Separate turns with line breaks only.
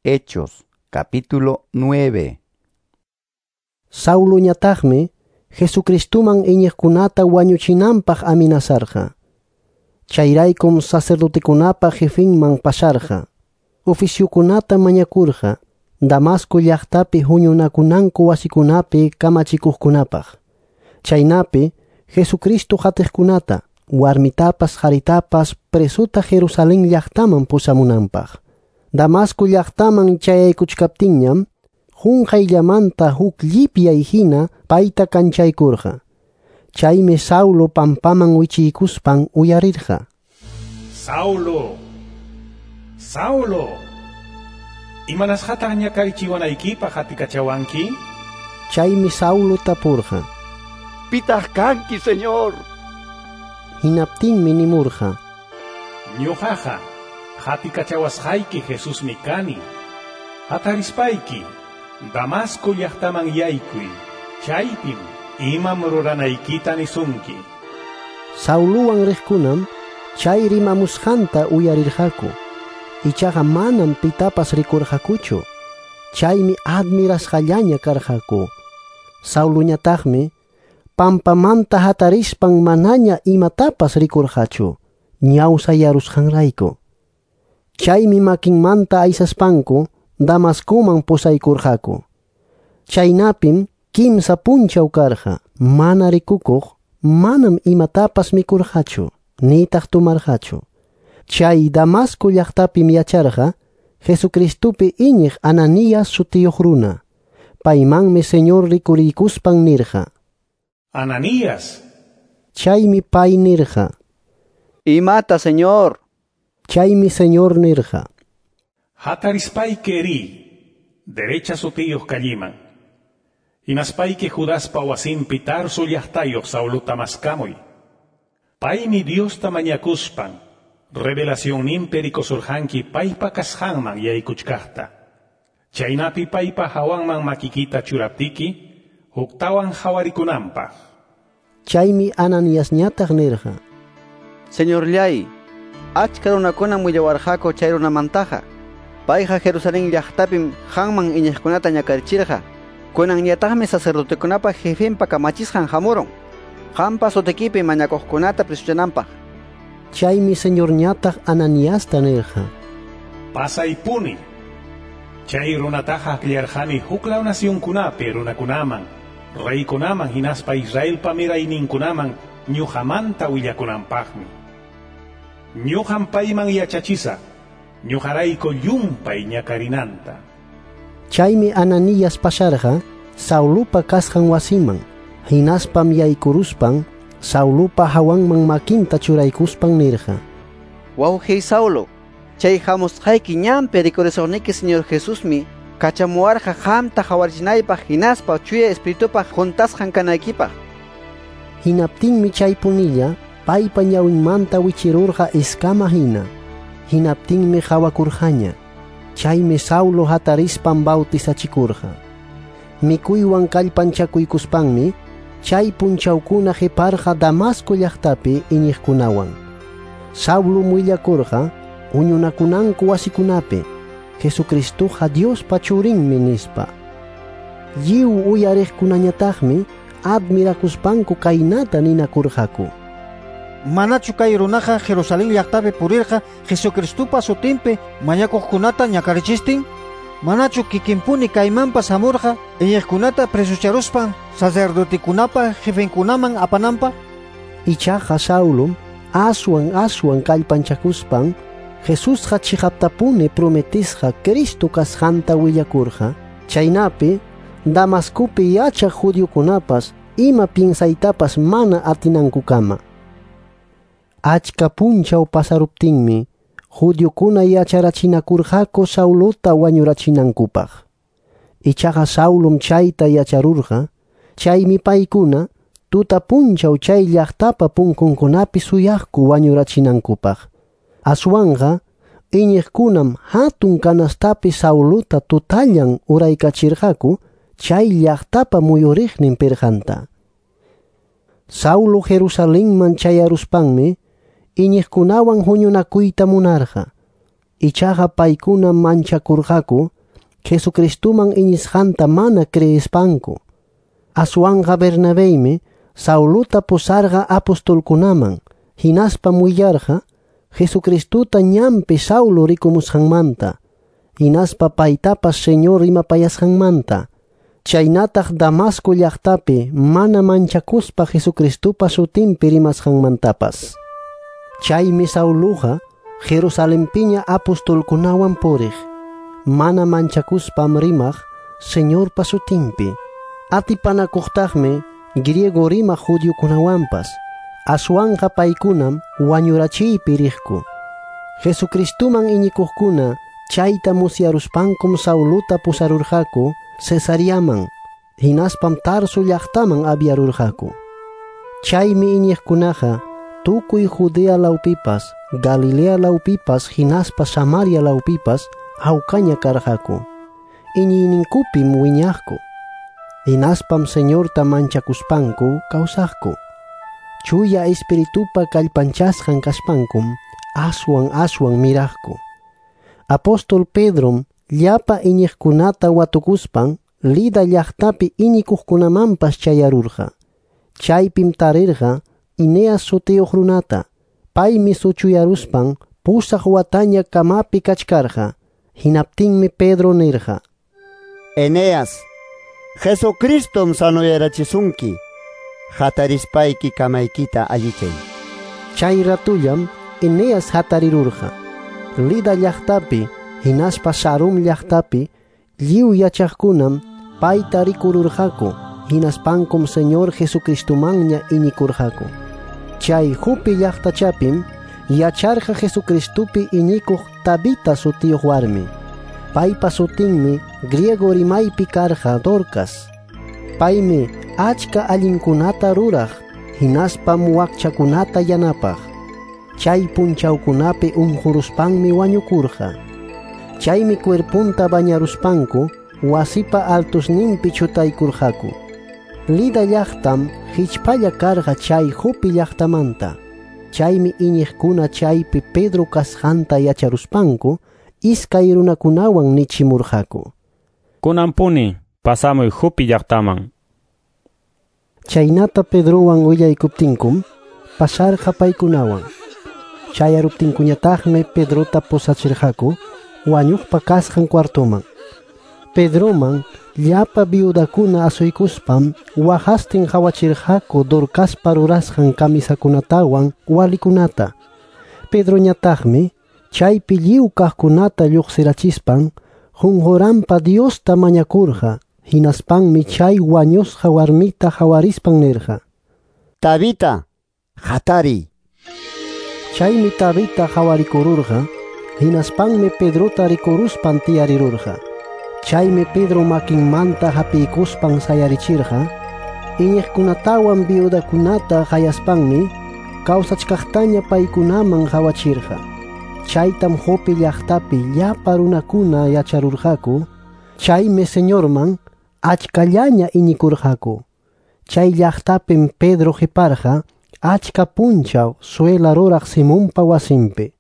Hechos, capítulo 9.
Sauloñataqmi Jesucristuman iñiqkunata wañuchinanpaq amenazarqa. Chayraykum sacerdotekunapa jefinman pasarqa. Oficiokunata mañakurqa Damasco llaqtapi huñunakunanku wasikunapi kamachikuqkunapaq. Chaynapi Jesucristo qatiqkunata, warmitapas qaritapas presuta Jerusalén llaqtaman pusamunanpaq. Damasco llaqtaman chayaykuchkaptinñam qunqayllamanta huk llipyay hina payta kanchaykurqa. Chaymi Saulo pampaman wichiykuspan uyarirqa.
Saulo, Saulo, imanasqataq ñakarichiwanaykipaq atikachawanki?
Chaymi Saulo tapurqa.
Pitaq kanki, Señor?
Hinaptinmi nimurqa.
Ñuqaqa hatikachawasqayki Jesusmi kani. Hatarispayki Damasco llaqtaman yaykuy. Chaypim imam ruranaykita nisunki.
Sauluwan riqkunam chay rimamusqanta uyarirqaku. Ichaqa manam pitapas rikurqakuchu. Chaymi admirasqallaña karqaku. Sauluñataqmi pampamanta hatarispan manaña imatapas rikurqachu, ñawsayarusqanrayku. Chaymi makinmanta aysaspanku Damascoman pusaykurqaku. Chaynapim kimsa punchaw karqa, mana rikukuq, manam imatapas mikurqachu, nitaq tomarqachu. Chay Damasco llaqtapim yacharqa Jesucristupi iñiq Ananías sutiyuq runa. Paymanmi Señor rikuriykuspan nirqa.
Ananías.
Chaymi pay nirqa.
Imata, Señor.
Chaymi Señor nirqa.
Hatarispayki ri, derecha sutiyuq kalliman. Hinaspayki Judaspa wasinpi Tarso llaqtayuq Sauluta maskamuy. Paymi Diosta mañakuspan, revelacionninpi rikusurqanki paypa kasqanman yaykuchkaqta. Chaynapi paypa hawanman makikita churaptiki, huktawan hawarikunanpaq.
Chaymi Ananiasñataq nirqa.
Señorllay, achka runakunam willawarqaku chay runamantaqa. Payqa Jerusalén llaqtapim qanman iñiqkunata ñakarichirqa. Kunanñataqmi sacerdotekunapa jefenpa kamachisqan hamurun. Qampa sutikipi mañakuqkunata presuchananpaq.
Chaymi Señorñataq Ananiasta nirqa.
Pasaypuni. Chay runataqa akllarqani huklaw nacionkunapi runakunaman, reykunaman hinaspa Israelpa mirayninkunaman ñuqamanta willakunanpaqmi. Ñuqam payman yachachisaq, ñuqarayku llumpay ñakarinanta.
Chaymi Ananías pasarqa Saulupa kasqan wasiman, hinaspam yaykuruspan Saulupa hawanman makinta churaykuspan nirqa.
Wawqiy Saulo, chay hamusqayki ñanpi rikurisuqniki Señor Jesusmi kachamuwarqa qamta hawarichinaypaq hinaspa Chuya Espiritupaq juntasqan kanaykipaq.
Hinaptinmi chay punilla paypa ñawinmanta wichirurqa iskama hina. Hinaptinmi hawakurqaña. Chaymi Saulo hatarispan bautizachikurqa. Mikuywan kallpanchakuykuspanmi chay punchawkuna qiparqa Damasco llaqtapi iñiqkunawan. Saulo willakurqa huñunakunanku wasikunapi Jesucristuqa Diospa churinmi nispa. Lliw uyariqkunañataqmi admirakuspanku kaynata ninakurqaku.
Manachu kay runaqa Jerusalén llaqtapi purirqa Jesucristupa sutinpi mañakuqkunata ñakarichistin? Manachu kikinpuni kaymanpas hamurqa iñiqkunata presucharuspan sacerdotekunapa jefenkunaman apananpaq?
Ichaqa Saulum aswan aswan kallpanchakuspan Jesusqa chiqaptapuni prometisqa Cristo kasqanta willakurqa. Chaynapi Damascopi yachaq judiokunapas ima piensaytapas mana atinankukama. Achka punchaw pasaruptinmi judiokuna yacharachinakurqaku Sauluta wañurachinankupaq. Ichaqa Saulum chayta yacharurqa, chaymi paykuna tuta punchaw chay llaqtapa punkunkunapi suyaqku wañurachinankupaq. Aswanqa iñiqkunam hatun kanastapi Sauluta tutallan uraykachirqaku chay llaqtapa muyuriqnin pirqanta. Saulo Jerusalenman chayaruspanmi iñiqkunawan huñunakuyta munarqa. Ichaqa paykuna manchakurqaku Jesucristuman iñisqanta mana creespanku. Aswanqa Bernabeymi Sauluta pusarqa apostolkunaman, hinaspam willarqa Jesucristuta ñanpi Saulo rikumusqanmanta, hinaspa paytapas Señor rimapayasqanmanta. Chaynataq Damasco llaqtapi mana manchakuspa Jesucristupa sutinpi rimasqanmantapas. Chaymi Sauluqa Jerusalempiña apostolkunawan puriq, mana manchakuspam rimaq Señorpa sutinpi. Atipanakuqtaqmi griego rimaq judiokunawanpas, aswanqa paykunam wañurachiypi riqku. Jesucristuman iñikuqkuna chayta musyaruspankum Sauluta pusarurqaku Cesariaman, hinaspam Tarso llaqtaman aviarurqaku. Chaymi iñiqkunaqa tukuy Judea lawpipas, Galilea lawpipas, hinaspa Samaria lawpipas hawkaña karqaku. Iñiyninkupim wiñaqku. Hinaspam Señorta manchakuspanku kawsaqku. Chuya Espiritupa kallpanchasqan kaspankum aswan aswan miraqku. Apóstol Pedrom llapa iñiqkunata watukuspan Lida llaqtapi iñikuqkunamanpas chayarurqa. Chaypim tarirqa Eneas sutiyuq runata. Paymi suchuyaruspan 8 wataña kamapi kachkarqa. Hinaptinmi Pedro nirqa:
Eneas, Jesucristom sanoyarachisunki. Hatarispayki kamaykita allichay.
Chay ratullam Eneas hatarirurqa. Lida llaqtapi hinaspa Sarum llaqtapi lliw yachaqkunam payta rikururqaku, hinaspankum Señor Jesucristumanña iñikurqaku. Chay Jope llaqtachapim yacharqa Jesucristupi iñikuq Tabita sutiyuq warmi. Paypa sutinmi griego rimaypi karqa Dorcas. Paymi achka allinkunata ruraq, hinaspam wakchakunata yanapaq. Chay punchawkunapi unquruspanmi wañukurqa. Chaymi cuerpunta bañaruspanku wasipa altusninpi chutaykurqaku. Lida llaqtam hichpalla karqa chay Jope llaqtamanta. Chaymi iñiqkuna chaypi Pedro kasqanta yacharuspanku iskay runakunawan nichimurqaku:
Kunanpuni pasamuy Jope llaqtaman.
Chaynata Pedrowan willaykuptinkum pasarqa paykunawan. Chayaruptinkuñataqmi Pedrota pusachirqaku wañuqpa kasqan cuartoman. Pedroman llapa viudakuna asuykuspam waqastin qhawachirqaku Dorcaspa rurasqan kamisakunatawan walikunata. Pedroñataqmi chaypi lliw kaqkunata lluqsirachispan qunquranpa Diosta mañakurqa. Hinaspanmi chay wañusqa warmita hawarispan nirqa:
Tabita, hatariy.
Chaymi Tabita hawarikururqa. Hinaspanmi Pedrota rikuruspan tiyarirurqa. Chaymi Pedro makinmanta hapiykuspan sayarichirqa. Iñiqkunatawan viudakunata qayaspanmi kawsachkaqtaña paykunaman hawachirqa. Chaytam Jope llaqtapi llapa runakuna yacharurqaku. Chaymi Señorman achkallaña iñikurqaku. Chay llaqtapim Pedro qiparqa achka punchaw suela ruraq Simonpa wasinpi.